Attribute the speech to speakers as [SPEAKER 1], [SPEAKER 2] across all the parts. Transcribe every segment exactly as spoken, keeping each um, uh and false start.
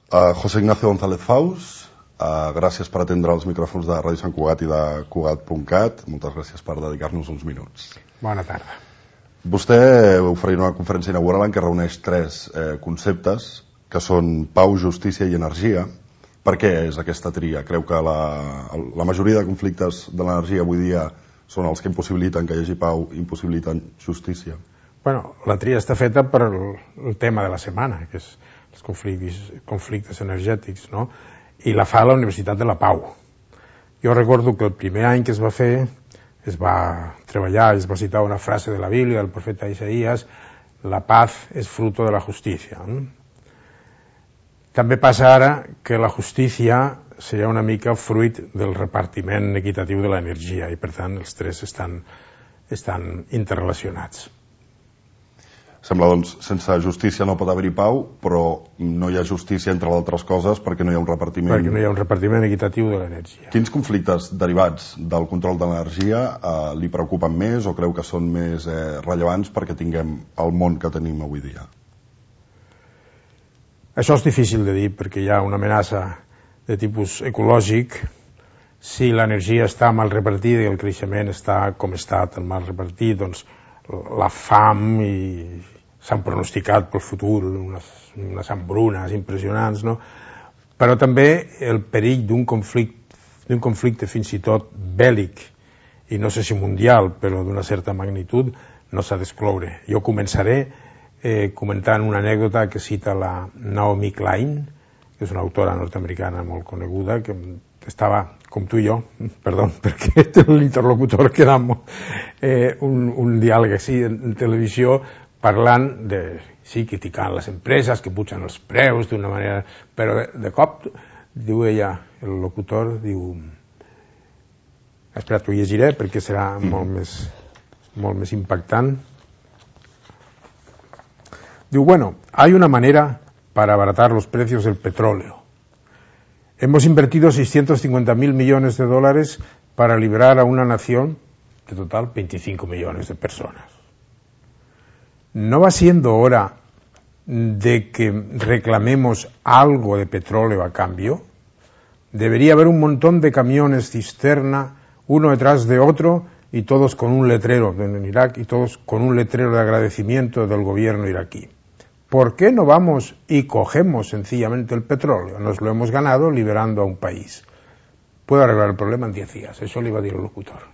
[SPEAKER 1] Uh, José Ignacio González Faus, uh, gràcies per atendre els micròfons de Ràdio Sant Cugat i de Cugat punt cat. Moltes gràcies per dedicar-nos uns minuts.
[SPEAKER 2] Bona tarda.
[SPEAKER 1] Vostè oferirà una conferència inaugural en què reuneix tres eh, conceptes, que són pau, justícia i energia. Per què és aquesta tria? Creu que la, la majoria de conflictes de l'energia avui dia són els que impossibiliten que hi hagi pau, impossibiliten justícia?
[SPEAKER 2] Bueno, la tria està feta per el, el tema de la setmana, que és els conflictes, conflictes energètics, no? I la fa la Universitat de la Pau. Jo recordo que el primer any que es va fer es va treballar, es va citar una frase de la Bíblia, del profeta Isaías, la paz es fruto de la justícia. També passa ara que la justícia seria una mica fruit del repartiment equitatiu de l'energia i per tant els tres estan, estan interrelacionats.
[SPEAKER 1] Sembla, doncs, sense justícia no pot haver-hi pau, però no hi ha justícia, entre altres coses, perquè no hi ha un repartiment...
[SPEAKER 2] Perquè no hi ha un repartiment equitatiu de l'energia.
[SPEAKER 1] Quins conflictes derivats del control de l'energia eh, li preocupen més o creu que són més eh, rellevants perquè tinguem el món que tenim avui dia?
[SPEAKER 2] Això és difícil de dir perquè hi ha una amenaça de tipus ecològic. Si l'energia està mal repartida i el creixement està com està tan mal repartit, doncs la fam i s'han pronosticat pel futur unes, unes hambrunes impressionants, no? Però també el perill d'un conflicte, d'un conflicte fins i tot bèl·lic, i no sé si mundial, però d'una certa magnitud, no s'ha d'excloure. Jo començaré eh, comentant una anècdota que cita la Naomi Klein, que és una autora nord-americana molt coneguda, que estava, com tu i jo, perdó, perquè l'interlocutor queda eh, un, un diàleg així en televisió, parlant de, sí, criticant les empreses que pugen els preus d'una manera, però de, de cop, diu ella, el locutor, diu, espera, t'ho llegiré perquè serà molt més, molt més impactant. Diu, bueno, hay una manera para abaratar los precios del petróleo. Hemos invertido seiscientos cincuenta mil millones de dólares para liberar a una nación de total veinticinco millones de personas. ¿No va siendo hora de que reclamemos algo de petróleo a cambio? Debería haber un montón de camiones cisterna, uno detrás de otro, y todos con un letrero en Irak, y todos con un letrero de agradecimiento del gobierno iraquí. ¿Por qué no vamos y cogemos sencillamente el petróleo? Nos lo hemos ganado liberando a un país. Puedo arreglar el problema en diez días, això li va dir el locutor.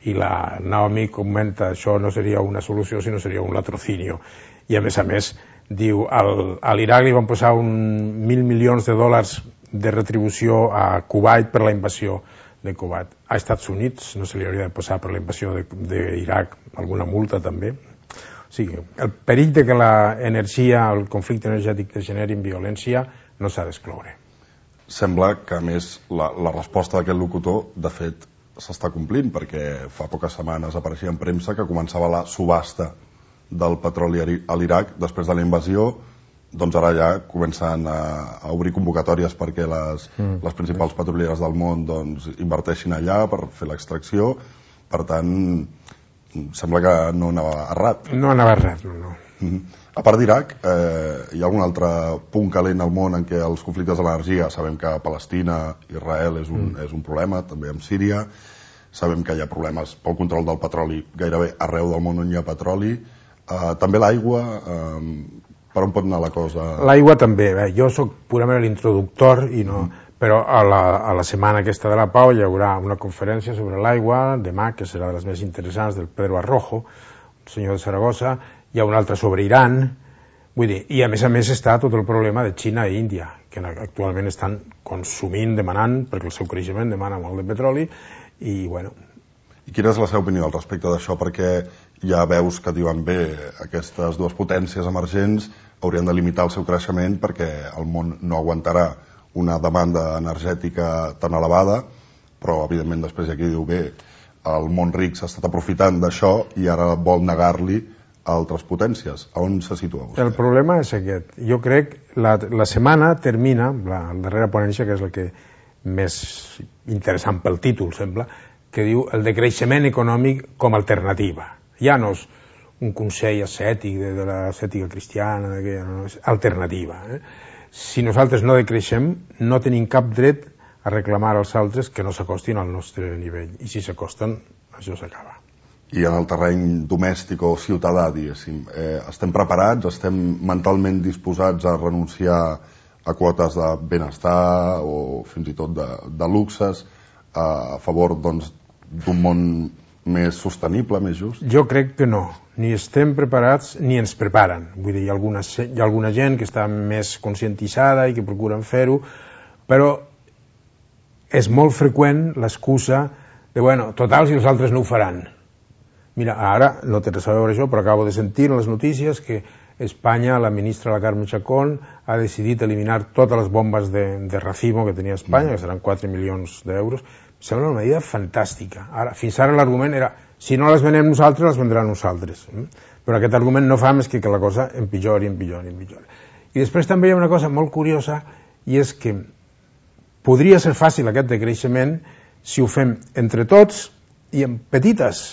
[SPEAKER 2] I la Naomi comenta, això no seria una solució, sinó seria un latrocinio. I a més a més, diu, al, a l'Iraq li van posar un mil milions de dòlars de retribució a Kuwait per la invasió de Kuwait. A Estats Units no se li hauria de posar per la invasió d'Iraq alguna multa també. O sigui, el perill de que l'energia, el conflicte energètic degeneri en violència no s'ha d'excloure.
[SPEAKER 1] Sembla que, a més, la, la resposta d'aquest locutor, de fet, s'està complint, perquè fa poques setmanes apareixia en premsa que començava la subhasta del petroli a l'Iraq després de la invasió, doncs ara ja comencen a, a obrir convocatòries perquè les, mm. les principals petrolieres del món doncs, inverteixin allà per fer l'extracció. Per tant, sembla que no anava errat.
[SPEAKER 2] No anava errat, no, no.
[SPEAKER 1] Mm-hmm. A part d'Iraq, eh, hi ha algun altre punt calent al món en què els conflictes de l'energia, sabem que Palestina, Israel és un, mm. és un problema, també amb Síria, sabem que hi ha problemes pel control del petroli gairebé arreu del món on hi ha petroli, eh, també l'aigua, eh, per on pot anar la cosa?
[SPEAKER 2] L'aigua també, bé, jo soc purament l'introductor, i no, mm. però a la, a la setmana aquesta de la Pau hi haurà una conferència sobre l'aigua, demà, que serà de les més interessants, del Pedro Arrojo, senyor de Saragossa. Hi ha un altre sobre Iran, vull dir, i a més a més està tot el problema de Xina i Índia, que actualment estan consumint, demanant, perquè el seu creixement demana molt de petroli, i bueno.
[SPEAKER 1] I quina és la seva opinió al respecte d'això? Perquè ja veus que diuen bé, aquestes dues potències emergents haurien de limitar el seu creixement perquè el món no aguantarà una demanda energètica tan elevada, però evidentment després hi ha qui diu bé, el món ric s'ha estat aprofitant d'això i ara vol negar-li a altres potències. A on se situa vostè?
[SPEAKER 2] El problema és aquest. Jo crec la, la setmana termina, la, la darrera ponència, que és la que més interessant pel títol, sembla, que diu el decreixement econòmic com a alternativa. Ja no és un consell ascètic de, de l'ascètica cristiana, de que, no, és alternativa. Eh? si nosaltres no decreixem, no tenim cap dret a reclamar als altres que no s'acostin al nostre nivell. I si s'acosten, això s'acaba.
[SPEAKER 1] I en el terreny domèstic o ciutadà, diguéssim, eh, estem preparats, estem mentalment disposats a renunciar a quotes de benestar o fins i tot de, de luxes a favor doncs, d'un món més sostenible, més just?
[SPEAKER 2] Jo crec que no. Ni estem preparats ni ens preparen. Vull dir, hi ha alguna, hi ha alguna gent que està més conscientitzada i que procuren fer-ho, però és molt freqüent l'excusa de, bueno, total, si els altres no ho faran. Mira, ara, no té res a veure això, però acabo de sentir en les notícies que Espanya, la ministra la Carme Chacón, ha decidit eliminar totes les bombes de, de racimo que tenia Espanya, que seran quatre milions d'euros. Em sembla una medida fantàstica. Ara, fins ara l'argument era, si no les venem nosaltres, les vendran nosaltres. Però aquest argument no fa més que que la cosa empitjori, empitjori, empitjori. I després també hi ha una cosa molt curiosa, i és que podria ser fàcil aquest decreixement si ho fem entre tots i en petites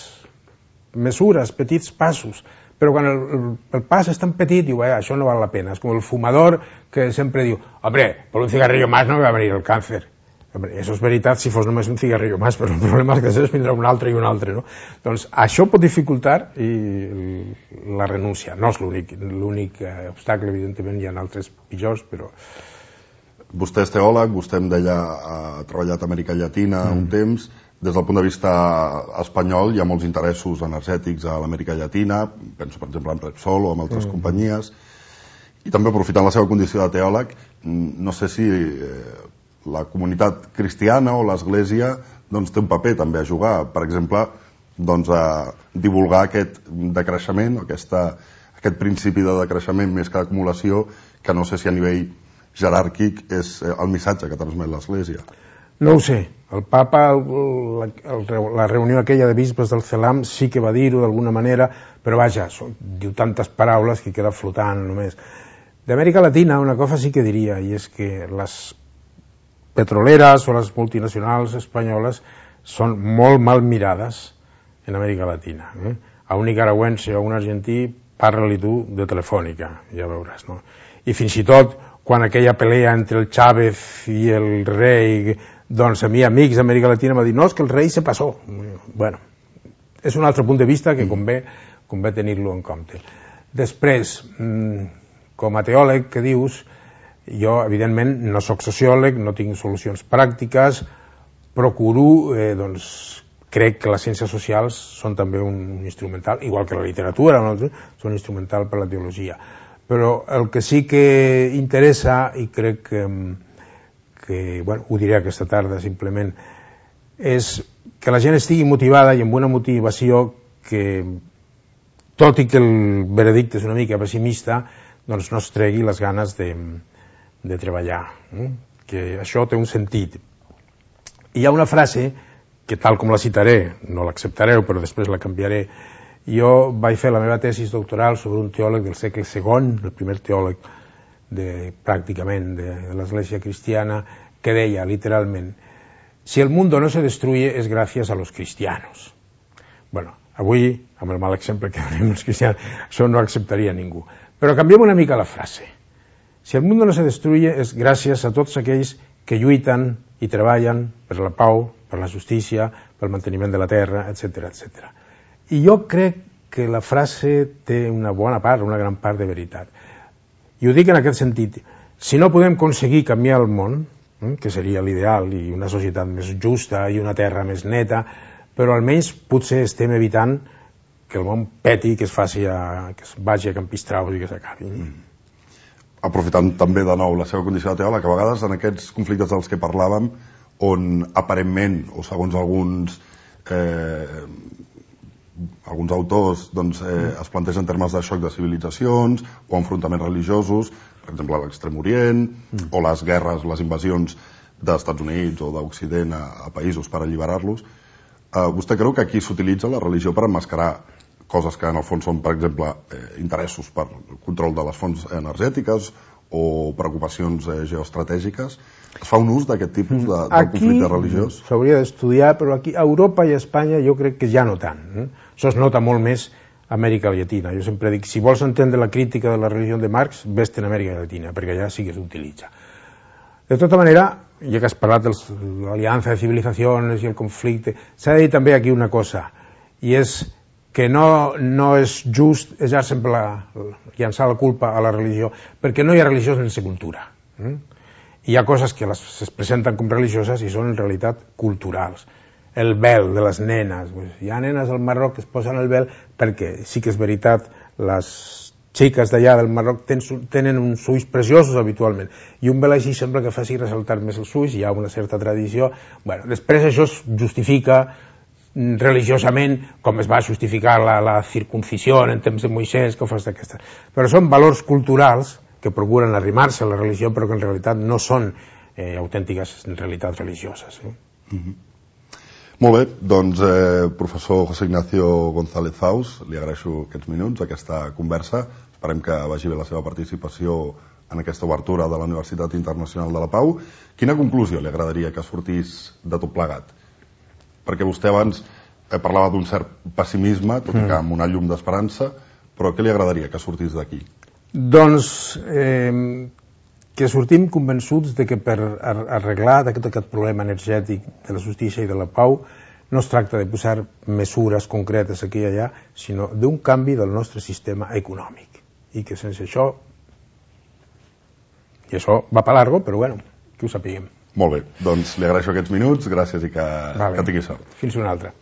[SPEAKER 2] mesures, petits passos. Però quan el, el, el pas és tan petit, diu, eh, això no val la pena. És com el fumador que sempre diu, hombre, por un cigarrillo más no me va a venir el cáncer. Hombre, això és veritat si fos només un cigarrillo más, però el problema és que després vindrà un altre i un altre, no? Doncs això pot dificultar i la renúncia. No és l'únic l'únic obstacle, evidentment hi ha altres pitjors, però...
[SPEAKER 1] Vostè és teòleg, vostè em deia ha treballat a Amèrica Llatina mm. un temps. Des del punt de vista espanyol hi ha molts interessos energètics a l'Amèrica Llatina, penso per exemple en Repsol o en altres mm. companyies, i també aprofitant la seva condició de teòleg, no sé si eh, la comunitat cristiana o l'Església doncs, té un paper també a jugar, per exemple, doncs, a divulgar aquest decreixement, aquesta, aquest principi de decreixement més que d'acumulació, que no sé si a nivell jeràrquic és el missatge que transmet l'Església.
[SPEAKER 2] No ho sé. El papa, la, la reunió aquella de bisbes del CELAM sí que va dir-ho d'alguna manera, però vaja, són, diu tantes paraules que queda flotant només. D'Amèrica Latina una cosa sí que diria, i és que les petroleres o les multinacionals espanyoles són molt mal mirades en Amèrica Latina. Eh? A un nicaragüense o a un argentí parla-li tu de Telefònica, ja veuràs, no? I fins i tot quan aquella pelea entre el Chávez i el rei, doncs a mi amics d'Amèrica Latina m'ha dit, no, és que el rei se passó. Bueno, és un altre punt de vista que convé, convé tenir-lo en compte. Després, com a teòleg que dius, jo evidentment no soc sociòleg, no tinc solucions pràctiques, procuro, eh, doncs, crec que les ciències socials són també un instrumental, igual que la literatura, no? Són instrumental per la teologia. Però el que sí que interessa, i crec que, que bueno, ho diré aquesta tarda simplement, és que la gent estigui motivada i amb una motivació que, tot i que el veredicte és una mica pessimista, doncs no es tregui les ganes de, de treballar. Eh? Que això té un sentit. I hi ha una frase que tal com la citaré, no l'acceptareu, però després la canviaré. Jo vaig fer la meva tesis doctoral sobre un teòleg del segle segon, el primer teòleg de, pràcticament de, de l'Església cristiana, que deia literalment, si el mundo no se destruye es gracias a los cristianos. Bueno, avui, amb el mal exemple que donem els cristians, això no acceptaria ningú. Però canviem una mica la frase. Si el mundo no se destruye es gràcies a tots aquells que lluiten i treballen per la pau, per la justícia, pel manteniment de la terra, etcètera, etcètera. I jo crec que la frase té una bona part, una gran part de veritat. I ho dic en aquest sentit. Si no podem aconseguir canviar el món, eh, que seria l'ideal, i una societat més justa i una terra més neta, però almenys potser estem evitant que el món peti, que es faci a, que es vagi a campistraus i que s'acabi. Mm.
[SPEAKER 1] Aprofitant també de nou la seva condició de teòleg, que a vegades en aquests conflictes dels que parlàvem, on aparentment, o segons alguns eh, alguns autors doncs, eh, es plantegen termes de xoc de civilitzacions o enfrontaments religiosos, per exemple a l'Extrem Orient, mm. o les guerres, les invasions dels Estats Units o d'Occident a, a països per alliberar-los. Eh, vostè creu que aquí s'utilitza la religió per emmascarar coses que en el fons són, per exemple, eh, interessos per control de les fonts energètiques o preocupacions eh, geoestratègiques? Es fa un ús d'aquest tipus de, de conflicte religiós?
[SPEAKER 2] S'hauria d'estudiar, però aquí a Europa i a Espanya jo crec que ja no tant. Eh? Això es nota molt més Amèrica Llatina. Jo sempre dic, si vols entendre la crítica de la religió de Marx, vés-te'n a Amèrica Llatina, perquè allà sí que s'utilitza. De tota manera, ja que has parlat de l'aliança de civilizacions i el conflicte, s'ha de dir també aquí una cosa, i és que no, no és just eixar sempre la, llançar la culpa a la religió, perquè no hi ha religió sense cultura. Eh? Hi ha coses que les, es presenten com religioses i són en realitat culturals. El vel de les nenes, hi ha nenes al Marroc que es posen el vel perquè sí que és veritat, les xiques d'allà del Marroc tenen uns ulls preciosos habitualment, i un vel així sembla que faci ressaltar més els ulls, hi ha una certa tradició. Bueno, després això es justifica religiosament, com es va justificar la, la circuncisió en temps de Moisès, coses d'aquestes. Però són valors culturals que procuren arrimar-se a la religió, però que en realitat no són eh, autèntiques en realitat religioses. Eh?
[SPEAKER 1] Mm-hmm. Molt bé, doncs eh, professor José Ignacio González Faus, li agraeixo aquests minuts, aquesta conversa. Esperem que vagi bé la seva participació en aquesta obertura de la Universitat Internacional de la Pau. Quina conclusió li agradaria que sortís de tot plegat? Perquè vostè abans eh, parlava d'un cert pessimisme, tot i que amb una llum d'esperança, però què li agradaria que sortís d'aquí?
[SPEAKER 2] Doncs eh, que sortim convençuts de que per arreglar aquest, aquest problema energètic de la justícia i de la pau no es tracta de posar mesures concretes aquí i allà, sinó d'un canvi del nostre sistema econòmic. I que sense això, i això va per largo, però bueno, que ho sapiguem.
[SPEAKER 1] Molt bé, doncs li agraeixo aquests minuts, gràcies i que,
[SPEAKER 2] vale.
[SPEAKER 1] que tingui sort.
[SPEAKER 2] Fins una altra.